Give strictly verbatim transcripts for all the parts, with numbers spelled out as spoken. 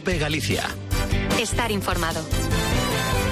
COPE Galicia. Estar informado.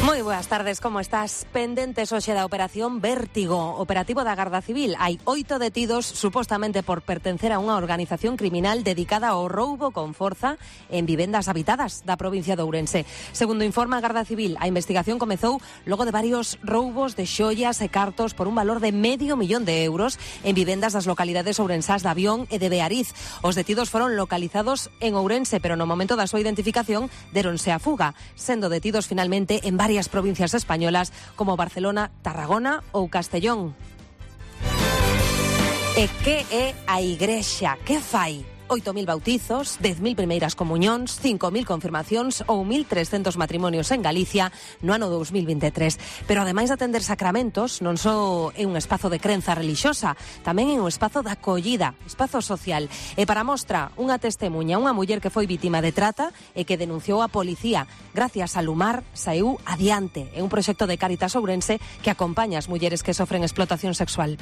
Moi boas tardes, como estás? Pendentes hoxe da operación Vértigo, operativo da Garda Civil. Hai oito detidos supostamente por pertencer a unha organización criminal dedicada ao roubo con forza en vivendas habitadas da provincia de Ourense. Segundo informa a Garda Civil, a investigación comezou logo de varios roubos de xoias e cartos por un valor de medio millón de euros en vivendas das localidades ourensás de Avión e de Beariz. Os detidos foron localizados en Ourense, pero no momento da súa identificación deronse a fuga, sendo detidos finalmente en varias provincias españolas como Barcelona, Tarragona ou Castellón. E que é a Igrexa? Que fai? oito mil bautizos, dez mil primeiras comuñóns, cinco mil confirmacións ou mil trescentos matrimonios en Galicia no ano dous mil veintitrés. Pero ademais de atender sacramentos, non só é un espazo de crenza relixiosa, tamén é un espazo de acollida, espazo social. E para mostra, unha testemuña, unha muller que foi vítima de trata e que denunciou a policía. Gracias a Lumar, saíu adiante. É un proxecto de Cáritas Ourense que acompaña as mulleres que sofren explotación sexual.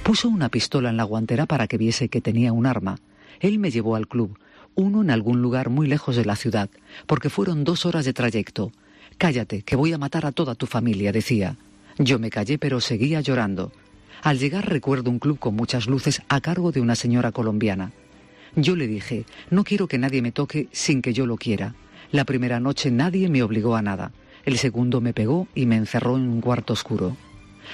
Puso una pistola en la guantera para que viese que tenía un arma. Él me llevó al club, uno en algún lugar muy lejos de la ciudad, porque fueron dos horas de trayecto. Cállate, que voy a matar a toda tu familia, decía. Yo me callé, pero seguía llorando. Al llegar recuerdo un club con muchas luces a cargo de una señora colombiana. Yo le dije, no quiero que nadie me toque sin que yo lo quiera. La primera noche nadie me obligó a nada. El segundo me pegó y me encerró en un cuarto oscuro.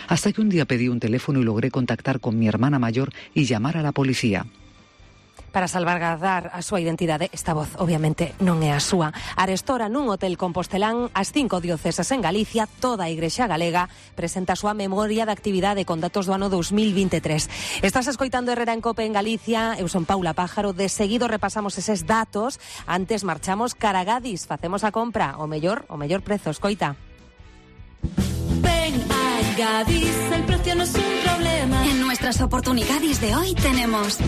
Hasta que un día pedí un teléfono y logré contactar con mi hermana mayor y llamar a la policía. Para salvaguardar a súa identidade, esta voz obviamente non é a súa. Arestora nun hotel compostelán as cinco dioceses en Galicia, toda a Igrexa galega presenta a súa memoria de actividade con datos do ano dous mil veintitrés. Estás escoitando Herrera en Cope en Galicia, eu son Paula Pájaro, de seguido repasamos eses datos, antes marchamos cara a Gadis, facemos a compra, o mellor, o mellor prezo, escoita. Ven a Gadis, el precio no es un problema. En nuestras oportunidades de hoy tenemos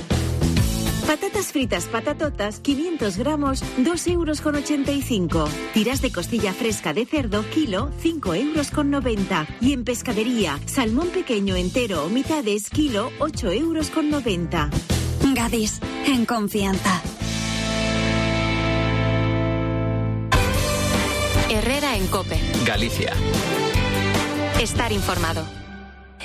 patatas fritas patatotas, quinientos gramos, dos euros con ochenta y cinco. Tiras de costilla fresca de cerdo, kilo, cinco euros con noventa. Y en pescadería, salmón pequeño entero o mitades, kilo, ocho euros con noventa. Gadis, en confianza. Herrera en Cope Galicia. Estar informado.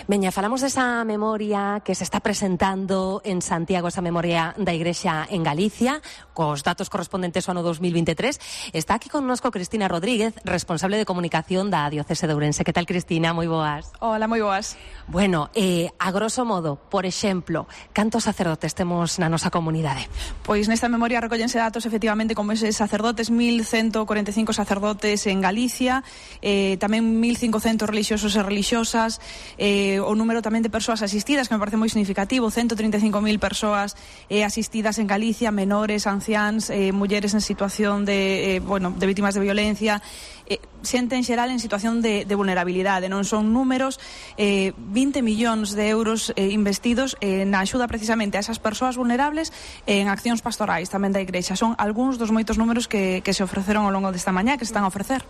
Veña, falamos desa memoria que se está presentando en Santiago, esa memoria da Igrexa en Galicia, cos datos correspondentes ao ano dous mil veintitrés. Está aquí connosco Cristina Rodríguez, responsable de comunicación da Diocese de Ourense. Que tal, Cristina? Moi boas. Hola, moi boas. Bueno, eh, a grosso modo, por exemplo, cantos sacerdotes temos na nosa comunidade? Pois nesta memoria recollense datos efectivamente como eses sacerdotes, mil ciento cuarenta e cinco sacerdotes en Galicia, eh, tamén mil cincocentos relixiosos e relixosas, eh, o número tamén de persoas asistidas, que me parece moi significativo, ciento trinta e cinco mil persoas eh, asistidas en Galicia, menores, anciáns, eh, mulleres en situación de, eh, bueno, de vítimas de violencia, eh, xente en xeral en situación de, de vulnerabilidade. Non son números, eh, vinte millóns de euros eh, investidos eh, na axuda precisamente a esas persoas vulnerables eh, en accións pastorais tamén da Igrexa. Son algúns dos moitos números que, que se ofreceron ao longo desta mañá, que se están a ofrecer.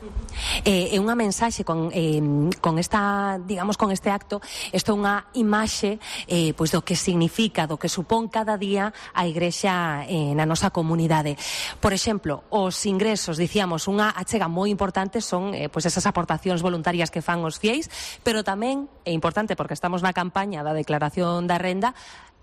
É eh, unha mensaxe con, eh, con esta, digamos, con este acto. Isto é unha imaxe eh, pois do que significa, do que supón cada día a Igrexa eh, na nosa comunidade. Por exemplo, os ingresos, dicíamos, unha achega moi importante son eh, pois esas aportacións voluntarias que fan os fieis, pero tamén é importante, porque estamos na campaña da declaración da renda,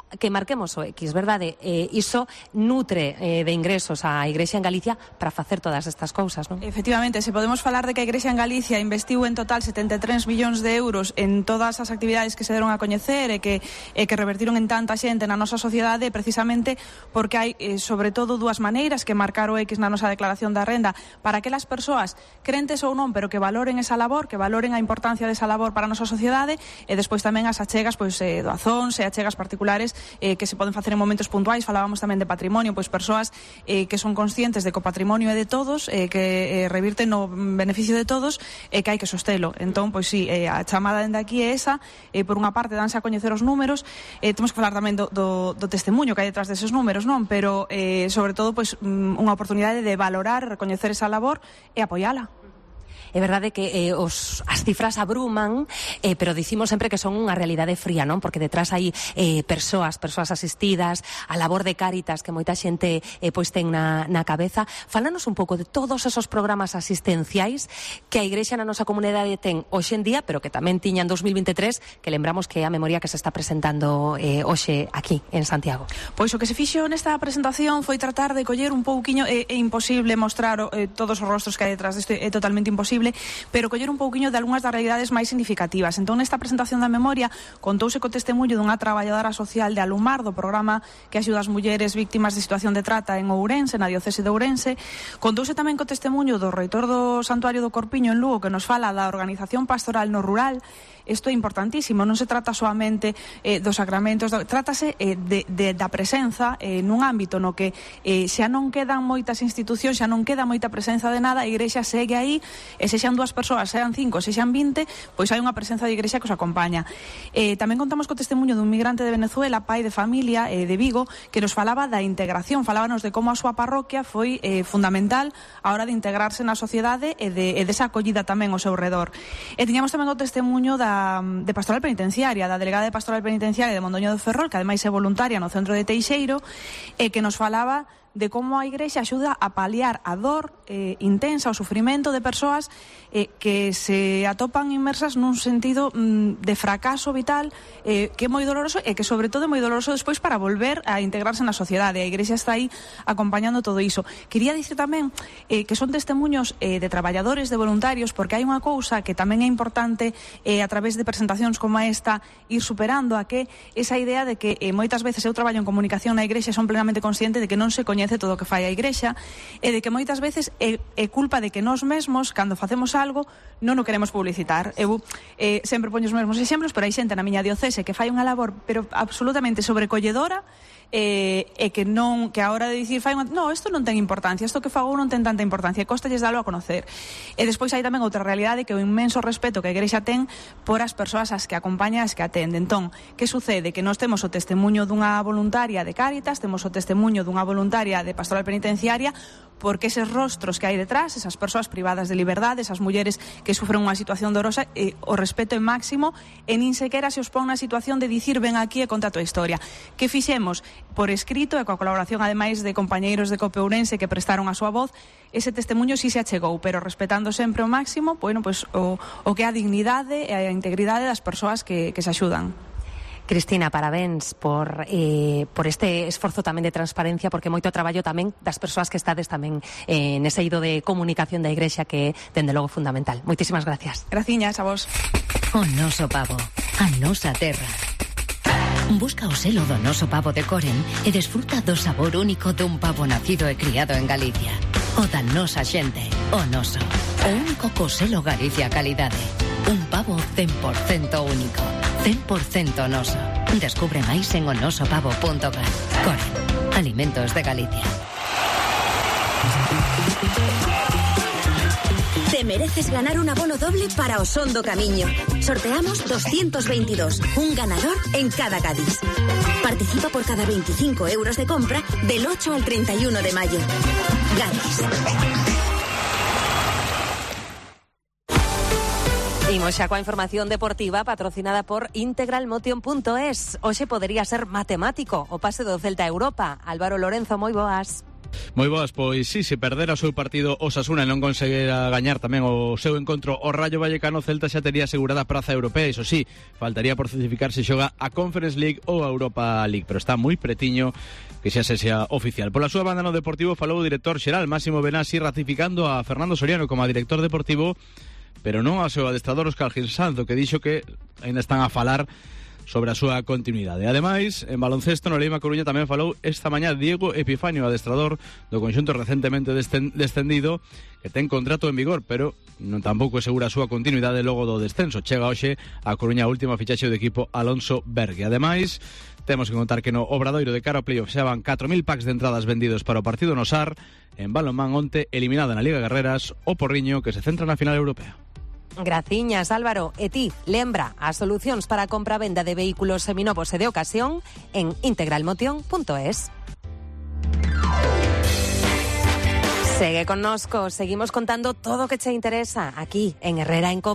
que marquemos o X, verdade? Eh, iso nutre eh, de ingresos a Igrexa en Galicia para facer todas estas cousas, non? Efectivamente, se podemos falar de que a Igrexa en Galicia investiu en total setenta e tres millóns de euros en todas as actividades que se deron a coñecer e que, e que revertiron en tanta xente na nosa sociedade, precisamente porque hai, eh, sobre todo, dúas maneiras que marcar o X na nosa declaración da renda para aquelas persoas, crentes ou non, pero que valoren esa labor, que valoren a importancia desa labor para a nosa sociedade, e despois tamén as achegas, pois, eh, doazóns e achegas particulares Eh, que se poden facer en momentos puntuais. Falábamos tamén de patrimonio, pois persoas eh, que son conscientes de que o patrimonio é de todos, eh, que eh, revirten no beneficio de todos e eh, que hai que sostelo. Entón, pois sí, eh, a chamada dende aquí é esa, eh, por unha parte danse a coñecer os números, eh, temos que falar tamén do, do, do testemunho que hai detrás deses números, non? Pero, eh, sobre todo, pois unha oportunidade de valorar, recoñecer esa labor e apoiala. É verdade que eh, os, as cifras abruman, eh, pero dicimos sempre que son unha realidade fría, non? Porque detrás hai eh, persoas, persoas asistidas, a labor de Cáritas que moita xente eh, pois ten na, na cabeza. Fálanos un pouco de todos esos programas asistenciais que a Igrexa na nosa comunidade ten hoxe en día, pero que tamén tiña en dos mil veintitrés, que lembramos que é a memoria que se está presentando eh, hoxe aquí en Santiago. Pois o que se fixo nesta presentación foi tratar de coller un pouquiño, é, é imposible mostrar eh, todos os rostros que hai detrás disto, é totalmente imposible, pero coller un pouquiño de algunhas das realidades máis significativas. Entón, nesta presentación da memoria, contouse co testemunho dunha traballadora social de Alumar, do programa que axuda as mulleres víctimas de situación de trata en Ourense, na diocese de Ourense. Contouse tamén co testemunho do reitor do Santuario do Corpiño en Lugo, que nos fala da organización pastoral no rural. Isto é importantísimo, non se trata solamente eh, dos sacramentos, do, trátase eh, de, de, da presenza eh, nun ámbito no que eh, xa non quedan moitas institucións, xa non queda moita presenza de nada, a Igrexa segue aí, e sexan dúas persoas, sean cinco, sexan vinte, pois hai unha presenza de Igrexa que os acompaña. Eh, tamén contamos co testemunho dun migrante de Venezuela, pai de familia eh, de Vigo, que nos falaba da integración, falábanos de como a súa parroquia foi eh, fundamental a hora de integrarse na sociedade e de, e desa acollida tamén ao seu redor. E tiñamos tamén o testemunho da de Pastoral Penitenciaria, da delegada de Pastoral Penitenciaria de Mondoño do Ferrol, que ademais é voluntaria no centro de Teixeiro, e que nos falaba de como a Igrexa axuda a paliar a dor eh, intensa, o sufrimento de persoas eh, que se atopan inmersas nun sentido mm, de fracaso vital eh, que é moi doloroso e que sobre todo é moi doloroso despois para volver a integrarse na sociedade. A Igrexa está aí acompañando todo iso. Quería dicir tamén eh, que son testemunhos eh, de traballadores, de voluntarios, porque hai unha cousa que tamén é importante eh, a través de presentacións como esta ir superando, a que esa idea de que eh, moitas veces eu traballo en comunicación na Igrexa e son plenamente consciente de que non se coñece todo o que fai a Igrexa e de que moitas veces é, é culpa de que nós mesmos, cando facemos algo, non o queremos publicitar. Eu eh, sempre poño os mesmos exemplos, pero hai xente na miña diocese que fai unha labor pero absolutamente sobrecolledora e, e que non, que a hora de dicir fai unha, no, isto non ten importancia, isto que fago non ten tanta importancia, costalles dalo a conocer. E despois hai tamén outra realidade, que é o inmenso respeto que a Igrexa ten por as persoas as que acompaña, as que atende. Entón, que sucede? Que nós temos o testemunho dunha voluntaria de Cáritas, temos o testemunho dunha voluntaria de Pastoral Penitenciaria, porque eses rostros que hai detrás, esas persoas privadas de liberdade, esas mulleres que sufren unha situación dorosa, eh, o respeto é máximo e nin sequera se os pon na situación de dicir ven aquí e conta a tua historia. Que fixemos por escrito e coa colaboración ademais de compañeiros de Cope Ourense que prestaron a súa voz, ese testemunho si se achegou, pero respetando sempre o máximo, bueno, pues, o, o que é a dignidade e a integridade das persoas que, que se axudan. Cristina, parabéns por, eh, por este esforzo tamén de transparencia, porque moito traballo tamén das persoas que estades tamén eh, nese eido de comunicación da Igrexa que, dende logo, fundamental. Moitísimas gracias. Graciñas a vos. O noso pavo, a nosa terra. Busca o selo do noso pavo de Coren e desfruta do sabor único dun pavo nacido e criado en Galicia. O da nosa xente, o noso. O único co selo Galicia Calidade. Un pavo cen por cento único, cen por cento noso. Descubre máis en onosopavo punto gal. Coren, alimentos de Galicia. Te mereces ganar un abono doble para Osondo Camiño. Sorteamos doscientos veintidós, un ganador en cada Cádiz. Participa por cada veinticinco euros de compra del ocho al treinta y uno de mayo. Cádiz. Imos xa coa información deportiva patrocinada por integral motion punto es. Hoxe podería ser matemático o pase do Celta a Europa. Álvaro Lorenzo, moi boas. Moi boas, pois sí, se perdera o seu partido Osasuna e non conseguira gañar tamén o seu encontro o Rayo Vallecano, Celta xa tería asegurada a praza europea. Iso sí, faltaría por certificar se xoga a Conference League ou a Europa League, pero está moi pretiño que xa se sea oficial. Pola súa banda no Deportivo falou o director xeral Máximo Benassi ratificando a Fernando Soriano como a director deportivo, pero non ao seu adestrador Óscar Gil Sanzo, que dixo que ainda están a falar sobre a súa continuidade. Ademais, en baloncesto, no Leima Coruña tamén falou esta mañá Diego Epifanio, adestrador do conxunto recentemente descendido, que ten contrato en vigor, pero non tampouco segura a súa continuidade logo do descenso. Chega hoxe a Coruña a última fichaxe do equipo Alonso Bergue. Ademais, temos que contar que no Obradoiro de cara ao playoff xa van catro mil packs de entradas vendidos para o partido no Sar. En balonmán onte, eliminada na Liga Guerreras, o Porriño, que se centra na final europea. Graciñas, Álvaro. E ti, lembra as solucións para a compra-venda de vehículos seminovos e de ocasión en integral motion punto es. Segue connosco, seguimos contando todo o que che interesa aquí en Herrera en COPE.